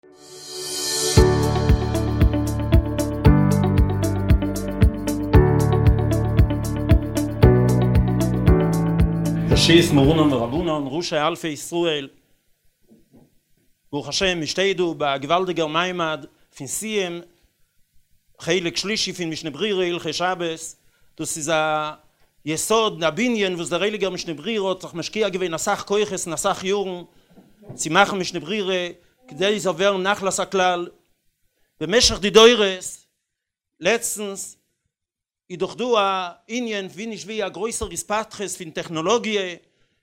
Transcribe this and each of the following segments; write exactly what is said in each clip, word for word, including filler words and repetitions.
ראשית מרנן ורבנן ראשי אלפי ישראל, ברוך השם מען שטייט דא ביי א געוואלדיגער מעמד פון סיום חלק שלישי פון משנה ברורה הלכות שבת, דאס איז א יסוד א בנין וואס דער הייליגער משנה ברורה האט זיך משקיע געווען אסאך כוחות און אסאך יארן צו מאכן משנה ברורה כדי עס זאל ווערן נחלת הכלל במשך די דורות, לעצטנס איז דאך דא א ענין ווי נישט ווי א גרויסער התפתחות פון טעכנאלאגיע,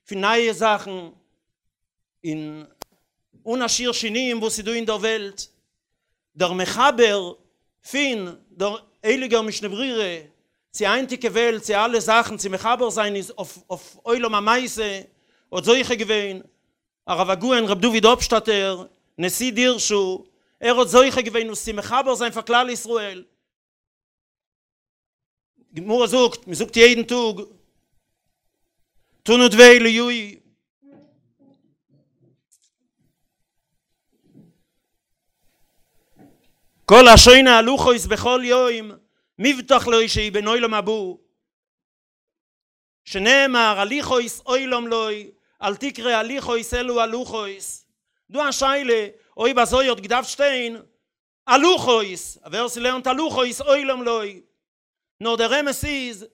פון נייע זאכן, און אן א שיעור שינויים וואס איז דא אין דער וועלט, דער מחבר פון דער הייליגער משנה ברורה צו היינטיגע וועלט צו אלע זאכן צו מחבר זיין איז אויף עולם המעשה האט זוכה געווען הרב הגאון ר' דוד אפשטאטער נשיא דירשו, ער האט זוכה געווען עס צו מחבר זיין פאר כלל ישראל. גמרא זאגט, מען זאגט יעדן טאג, תנא דבי אליהו, כל השונה הלכות בכל יום מובטח לו שהוא בן עולם הבא, שנאמר הליכות עולם לו, אל תקרא הליכות אלא הלכות. דא א שאלה אויב אזוי האט געדארפט שטיין הלכות, ווער ס'לערנט הלכות עולם לו. נאר דער אמת איז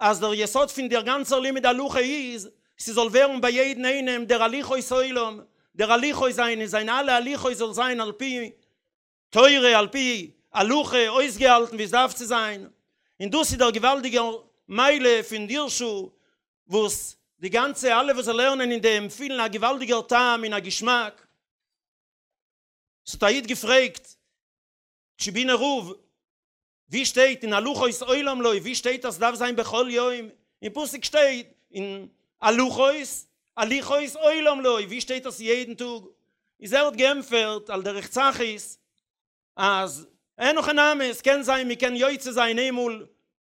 אז דער יסוד פון דער גאנצער לימוד הלכה איז ס'זאל ווערן ביי יעדן איינעם דער הליכות עולם, דער הליכות זיינע, זיינע אלע הליכות זאל זיין על פי תורה, על פי הלכה, אויסגעהאלטן ווי עס דארף צו זיין, און דאס איז דער געוואלדיגער מעלה פון דירשו, וואס די גאנצע אלע וואס זיי לערנען אין דעם פילן א געוואלדיגער טעם און א געשמאק. ס'האט א איד געפרעגט טשיבינער רב, ווי שטייט אין הלכות עולם לו, ווי שטייט אז ס'דארף זיין בכל יום? אין פסוק שטייט אין הלכות, הליכות עולם לו, ווי שטייט אז יעדן טאג? איז ער האט געענטפערט על דרך צחות אז אין הכי נמי, ס'קען זיין מ'קען יוצא זיין איינמאל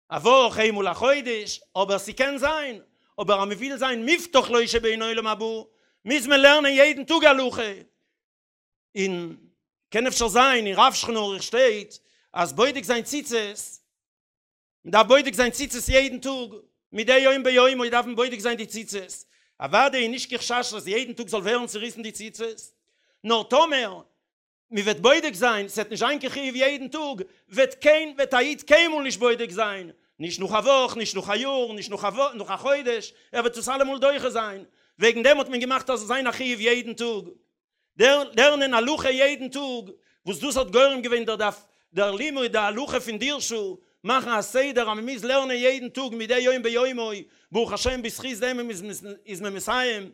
א וואך, איינמאל א חודש, אבער ס'קען זיין, אבער אז מ'וויל זיין מובטח לו שבן עולם הבא, מוז מען לערנען יעדן טאג הלכה. און קען אפשר זיין אין רב שולחן ערוך שטייט אז בודק זיין ציצית, מען דארף בודק זיין ציצית יעדן טאג, מדי יום ביומו דארף מען בודק זיין די ציצית, אוודאי איז נישט קיין חשש אז יעדן טאג זאל ווערן צוריסן די ציצית, נאר טאמער מען וועט בודק זיין, ס'וועט נישט זיין קיין חיוב יעדן טאג, וועט קיין וועט א איד קיינמאל נישט בודק זיין, נישט נאך א וואך, נישט נאך א יאר, נישט נאך א נאך א חודש, ער וועט עס אלעמאל דוחה זיין, וועגן דעם האט מען געמאכט אז ס'זאל זיין א חיוב יעדן טאג. לערנען הלכה יעדן טאג, וואס דאס האט גורם געווען דער דף דער לימוד ההלכה פון דירשו, מאכן א סדר אז מען מוז לערנען יעדן טאג מדי יום ביומו, ברוך השם בזכות דעם איז מען מסיים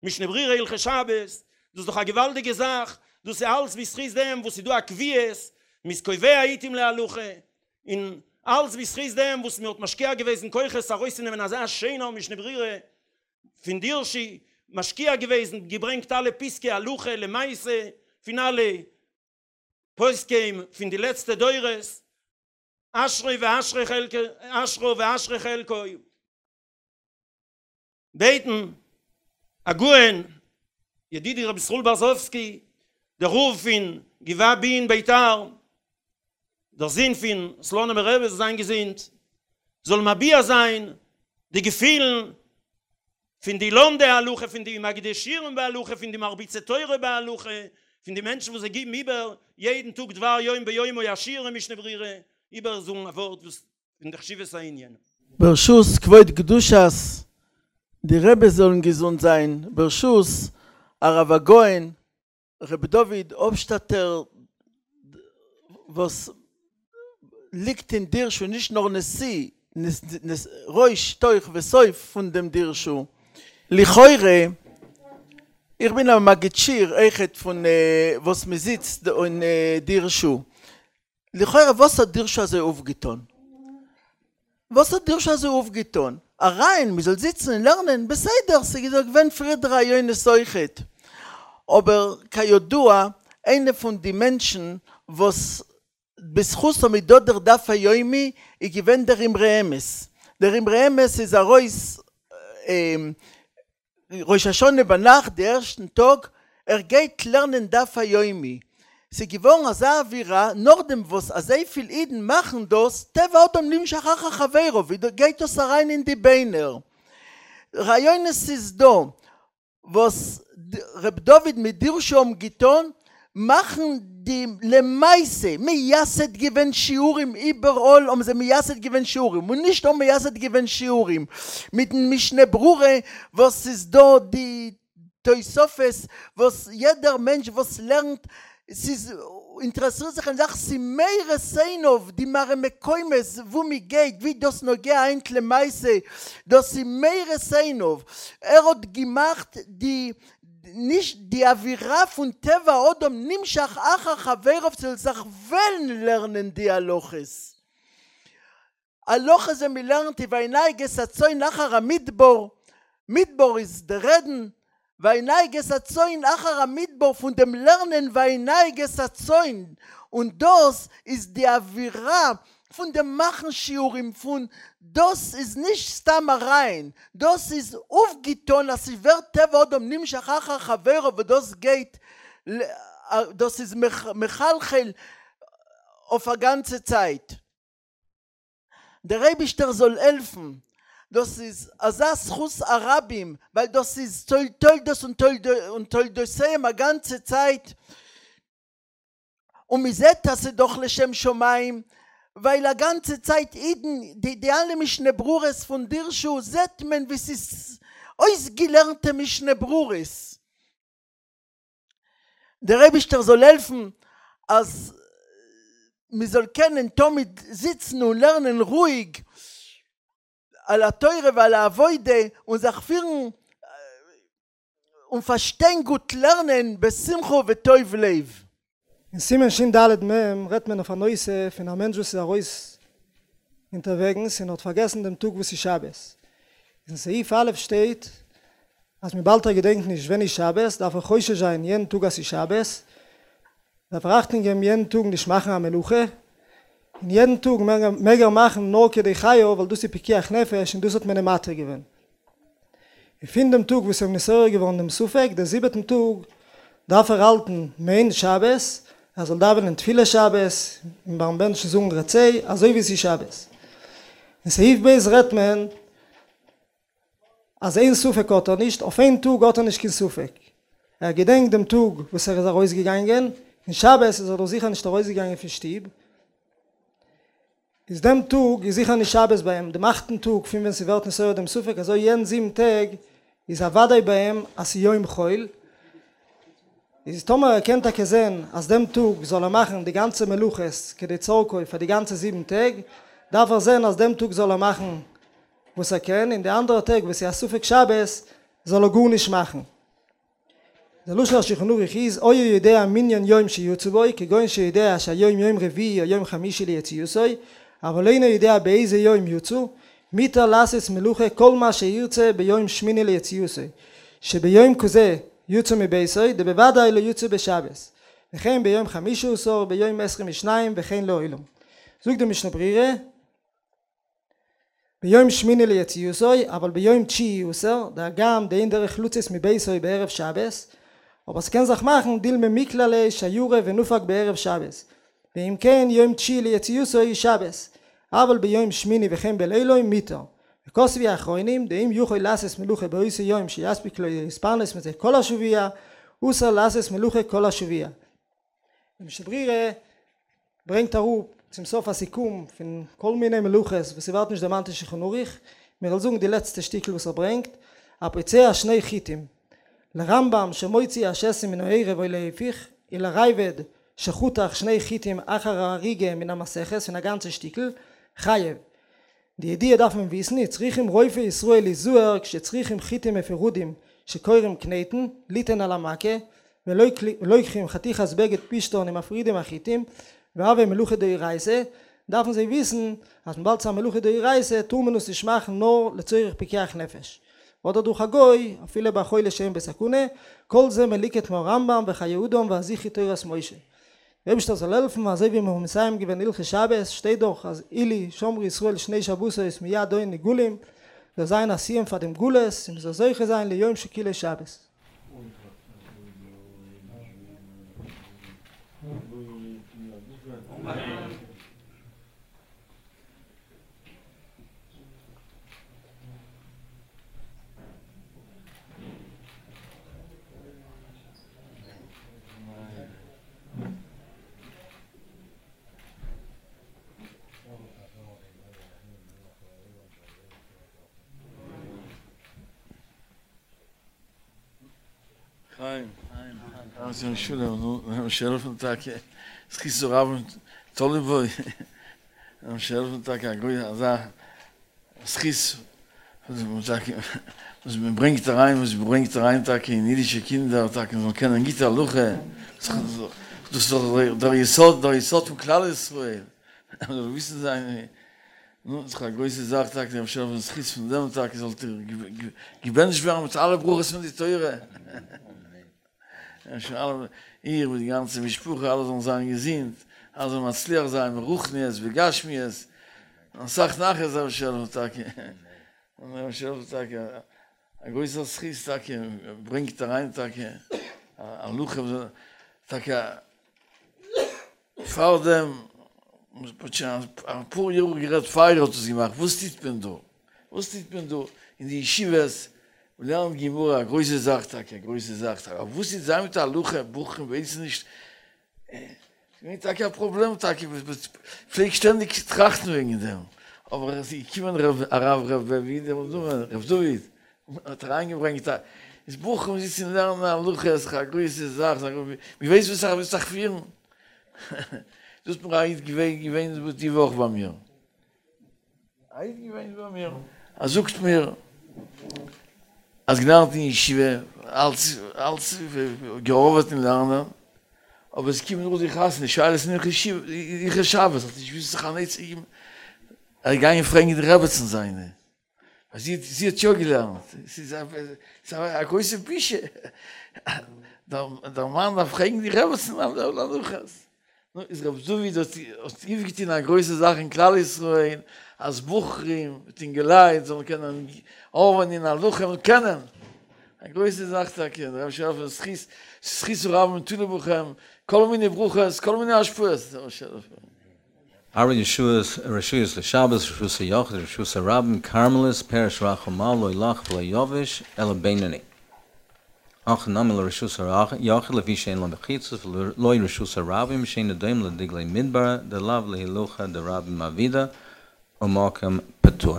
משנה ברורה הלכות שבת, דאס איז דאך א געוואלדיגע זאך, דאס איז אלץ בזכות דעם וואס איז דא א קביעות, מען איז קובע עיתים להלכה, און אלץ בזכות דעם וואס מען האט משקיע געוועזן כוחות ארויסצונעמען אזא שיינער משנה ברורה פון דירשו, משקיע געוועזן, געברענגט אלע פסקי הלכה למעשה פון אלע פוסקים פון די לעצטע דורות, אשרי ואשרי חלקו, אשרו ואשרי חלקו. בעטן הגאון ידידי רבי ישראל ברזובסקי, דער רב פון גבעה בי אין ביתר, דער זון פון סלאנימער רבי זאל זיין געזונט, זאל מביע זיין די געפילן פון די לומדי הלכה, פון די מגידי שיעורים בהלכה, פון די מרביצי תורה בהלכה, פון די מענטשן וואס זיי גיבן איבער יעדן טאג דבר יום ביומו א שיעור אין משנה ברורה, איבערזאגן א ווארט וואס פון די חשיבות הענין. ברשות כבוד קדושת די רבי זאלן געזונט זיין, ברשות הרב הגאון ר' דוד אפשטאטער וואס ליגט אין דירשו נישט נאר נשיא, ראש תוך וסוף פון דעם דירשו, לכאורה איך בין א מגיד שיעור אויכעט פון וואס מען זיצט אין דירשו, לכאורה וואס האט דירשו אזוי אויפגעטון? וואס האט דירשו אזוי אויפגעטון? אריין מען זאל זיצן און לערנען, בסדר ס'איז דאך געווען פריער די רעיונות אויכעט, אבער כידוע איינע פון די מענטשן וואס בזכותם איז דא דער דף היומי איז געווען דער אמרי אמת, דער אמרי אמת איז ארויס ראש השנה ביינאכט די ערשטן טאג ער גייט לערנען דף היומי, ס'איז געווארן אזא אווירה נאכדעם וואס אזויפיל אידן מאכן דאס, טבע האדם נמשך אחר חברו, ווי גייט דאס אריין אין די ביינער. רעיונות איז דא וואס ר' דוד מיט דירשו האבן געטון, מאכן די למעשה מייסד געווען שיעורים איבעראל האבן זיי מייסד געווען שיעורים און נישט נאר מייסד געווען שיעורים מיטן משנה ברורה וואס איז דא די תוספות וואס יעדער מענטש וואס לערנט ס'איז אינטערעסירט זיך אין זאך ס'איז מאיר את עיניו די מראה מקומות וואו מ'גייט ווי דאס נוגע היינט למעשה דאס איז מאיר את עיניו ער האט געמאכט די נישט די אווירה פון טבע האדם נמשך אחר חברו ס'זאל זיך וועלן לערנען די הלכות. הלכות ווען מ'לערנט וינהג את הצאן אחר המדבר, מדבר איז די רעדן, וינהג את הצאן אחר המדבר פון דעם לערנען וינהג את הצאן, און דאס איז די אווירה פון דעם מאכן שיעורים פון דאס איז נישט סתם אריין, דאס איז אויפגעטון אז ס'ווערט טבע אדם נמשך אחר חברו וואס דאס גייט דאס איז מחלחל אויף א גאנצע צייט. דער אייבישטער זאל העלפן דאס איז אזא זכות הרבים ווייל דאס איז תולדות און תולדותיהם א גאנצע צייט און מ'זעט אז ס'איז דאך לשם שמים ווייל א גאנצע צייט אידן די די אלע משנה ברורות פון דירשו זעט מען ווי ס'איז אויסגעלערנטע משנה ברורות. דער אייבישטער זאל העלפן אז מ'זאל קענען תמיד זיצן און לערנען רואיג על התורה ועל העבודה און זיך פירן און פארשטיין גוט לערנען בשמחה ובטוב לב. אין סימן שין ד' מ' רעדט מען אויף א נושא פון א מענטש וואס איז ארויס אונטערוועגנס און האט פארגעסן דעם טאג וואס איז שבת. אין סעיף א' שטייט אז וויבאלד ער געדענקט נישט ווען איז שבת דארף ער חושש זיין יענעם טאג אז ס'איז שבת, דארף ער אכטונג געבן יענעם טאג נישט מאכן א מלאכה, און יעדן טאג מעג ער מאכן נאר כדי חייו ווייל דאס איז פיקוח נפש און דאס האט מען אים מתיר געווען. און פון דעם טאג וואס איז אים נתעורר געווארן דעם ספק, דער זיבעטן טאג, דארף ער האלטן מעין שבת, ער זאל דאווענען תפילת שבת, און ביים בענטשן זאגן רצה, אזוי ווי עס איז שבת. אין סעיף ב' רעדט מען אז איין ספק האט ער נישט, אויף איין טאג האט ער נישט קיין ספק, ער געדענקט דעם טאג וואס ער איז ארויסגעגאנגען, און שבת איז ער דאך זיכער נישט ארויסגעגאנגען פון שטוב, איז דעם טאג איז זיכער נישט שבת ביי אים, דעם אכטן טאג פון ווען ס'ווערט נתעורר דעם ספק, אזוי יענע זיבן טעג איז א וודאי ביי אים אז ס'איז יום חול, איז טאמער ער קען טאקע זען אז דעם טאג זאל ער מאכן די גאנצע מלאכות כדי צורכו פאר די גאנצע זיבן טעג, דארף ער זען אז דעם טאג זאל ער מאכן וואס ער קען, און די אנדערע טעג וואס איז א ספק שבת זאל ער גארנישט מאכן. דער לשון השולחן ערוך איז היה יודע מנין יום שיצא בו, כגון שיודע שהיום יום רביעי או יום חמישי ליציאתו, אבל אינו יודע באיזה יום יצא, מותר לעשות מלאכה כל מה שירצה ביום שמיני ליציאתו, שביום כזה יצא מביתו, דבוודאי לא יצא בשבת, וכן ביום חמישה עשר, ביום עשרים ושניים וכן לעולם. זאגט די משנה ברורה, ביום שמיני ליציאתו, אבל ביום תשיעי אסור, דהגם דאין דרך לצאת מביתו בערב שבת, אבער ס'קען זיך מאכן דילמא מיקלע ליה שיירא ונפק בערב שבת, ואם כן יום תשיעי ליציאתו איז שבת, אבל ביום שמיני וכן בלילו מותר. וכתבו האחרונים דאם יכול לעשות מלאכה באותו יום שיספיק לו להתפרנס מזה כל השבוע, אסור לעשות מלאכה כל השבוע. די משנה ברורה ברענגט אראפ צום סוף א סיכום פון כל מיני מלאכות וואס ס'ווערט נישט דערמאנט אין שולחן ערוך, מיר וועלן זאגן די לעצטע שטיקל וואס ער ברענגט, הפוצע שני חיטים, לרמב"ם שמוציא השתן מן הערב או להיפוך, ולראב"ד שחתך שני חיטים אחר האריגה מן המסכת פון א גאנצע שטיקל, חייב. די ידיעה דארף מען וויסן, צריכים רופאי ישראל להיזהר כשצריכים חיטים מפורדים שקוראים קניטן, ליתן על המכה, ולוקחים חתיכת בגד פשתן ומפרידים החיטים, והוה מלאכה דאורייתא, דארפן זיי וויסן אז וויבאלד ס'איז א מלאכה דאורייתא טאר מען עס נישט מאכן נאר לצורך פיקוח נפש, אדער דורך א גוי, אפילו ביי חולה שאין בו סכנה, כל זה מלוקט מהרמב"ם וחיי אדם והזכרי תורת משה. דער אייבערשטער זאל העלפן אזוי ווי מיר האבן מסיים געווען הלכות שבת, שטייט דאך אז אילו שמרו ישראל שני שבתות מיד היו נגאלים, זאל זיין א סיום פאר דעם גלות און מ'זאל זוכה זיין ליום שכולו שבת. חיים, חיים, חיים, שעלפן טאקע, עס קיסט זו רב טולי בוי, שעלפן טאקע, גוי, אזא, סכיס, וואס מען ברענגט אריין, וואס מען ברענגט אריין טאקע אין אידישע קינדער, טאקע זאלן קענען גיטע הלכה, דאס איז דאך דער יסוד, דער יסוד פון כלל ישראל, זאל וויסן זיין, נו, איז א גרויסע זאך טאקע, דער שעלפן סכיס פון דעם טאקע זאלט איר געבענטשט ווערן מיט אלע ברכות פון די תורה. איר מיט די גאנצע משפחה, אלע זאלן זיין געזונט, אלע זאלן מצליח זיין, ברוחניות, בגשמיות, און סאך נחת דער שעלפן טאקע. און דער שעלפן טאקע, א גרויסער זכות טאקע, ברענגט אריין טאקע, א הלכה, טאקע, פאר דעם, א פאר יאר גערעדט פאר האט עס געמאכט, וואס טוט מען דא? וואס טוט מען דא אין די ישיבות? לערנט גמרא, א גרויסע זאך טאקע, א גרויסע זאך טאקע. אבער וואס איז זיין מיט הלכה, בחורים ווייסן נישט. ס'איז טאקע א פראבלעם טאקע, פלעג שטענדיג טראכטן וועגן דעם. אבער עס איז געקומען הרב רב רב דוד, האט אריינגעברענגט א, איז בחורים זיצן לערנען הלכה, איז א גרויסע זאך, מ'ווייסט וואס איך זיך פירן. דאס האט מיר א איד געווען די וואך ביי מיר. א איד געווען ביי מיר. ער זאגט מיר, אז געלערנט אין ישיבה, אלץ, אלץ געארבעט אין לערנען, אבער עס קומט נאך די חתונה, שאלות אין ישיבה, איך שבת, האט נישט געוואוסט זיך אן עצה געבן, ער איז געגאנגען פרעגן די רעבעצן זיינע, ווייל זי, זי האט יא געלערנט, עס איז א גרויסע בושה, דער מאן דארף פרעגן די רעבעצן על הלכות. נו, איז רב דוד האט אויפגעטון א גרויסע זאך אין כלל ישראל, אז בחורים מיט אינגעלייט זאלן קענען האבן אין הלכה און קענען. א גרויסע זאך טאקע, דער רבי שעלפן זכות, זכות רב תלוי בכם, כל מיני ברכות, כל מיני השפעות, דער רבי שעלפן. ארבע ישועות, רשויות לשבת, רשות היחיד, רשות הרבים, כרמלית, פרש רך ומה, לא ילך ולא יבש, אלא בינוני. אך נמי לרשות היחיד לפי שאין לו מחיצות ולא רשות הרבים שאין דומה לדגלי מדבר דלאו להילוכא דרבים עבידא ומקום פטור.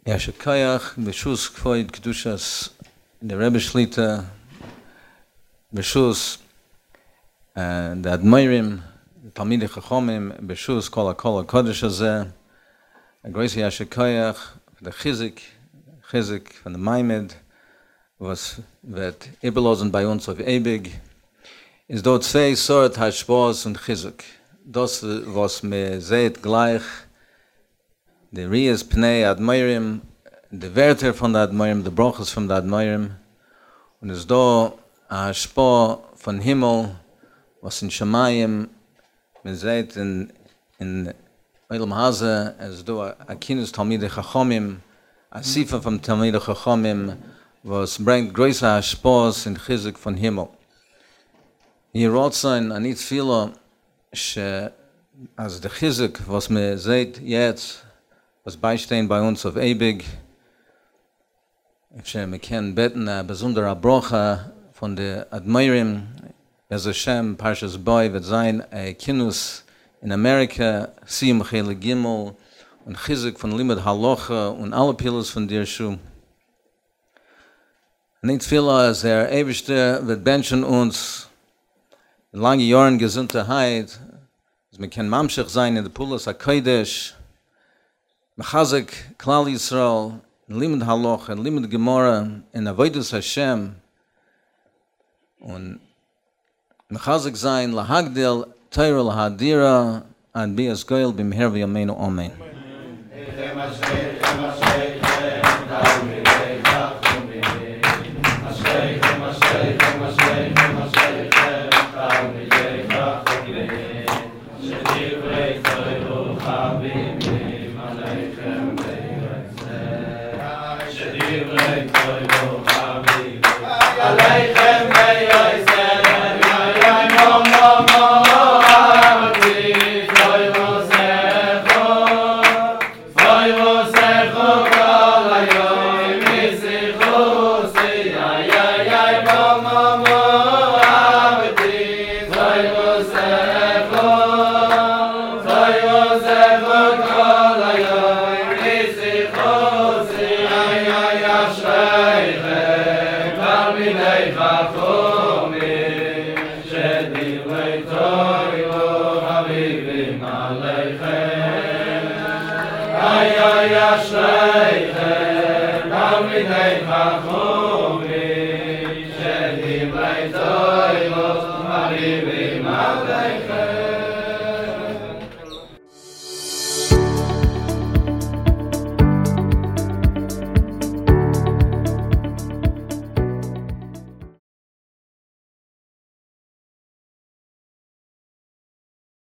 יישר כח ברשות כבוד קדושת דער רבי שליט"א, ברשות די אדמו"רים, תלמידי חכמים, ברשות כל הקהל הקודש הזה, א גרויסע יישר כח פאר די חיזוק, חיזוק פון די מעמד וואס וועט איבערלאזן ביי אונז אויף אייביג. איז דא צוויי סארט השפעות און חיזוק. דאס וואס מען זעט גלייך, די ראיית פני אדמו"רים, די ווערטער פון די אדמו"רים, די ברכות פון די אדמו"רים, און איז דא א השפעה פון הימל וואס אין שמים מען זעט אין אין עולם הזה, עס איז דא א כינוס תלמידי חכמים, אסיפה פון תלמידי חכמים וואס ברענגט גרויסע השפעות און חיזוק פון הימל. יהי רצון, אני תפילה, ש אז די חיזוק וואס מען זעט יעצט, וואס ביישטיין ביי אונז אויף אייביג, אפשר מען קען בעטן א באזונדערע ברכה פון די אדמו"רים, בעזר השם פרשת בא וועט זיין א כינוס אין אמעריקע, סיום חלק ג', און חיזוק פון לימוד הלכה און אלע פעולות פון דירשו. אני תפילה אז דער אייבערשטער וועט בענטשן אונז לאנגע יארן געזונטערהייט, אז מען קען ממשיך זיין אין די פעולות הקודש, מחזק כלל ישראל אין לימוד הלכה, אין לימוד גמרא, אין עבודת השם, און מחזק זיין להגדיל תורה להאדירה עד ביאת גואל במהרה בימינו אמן. עליכם ויוסף, אוי אוי אשריכם תלמידי חכמים שדברי תורה מרהיבים עליכם.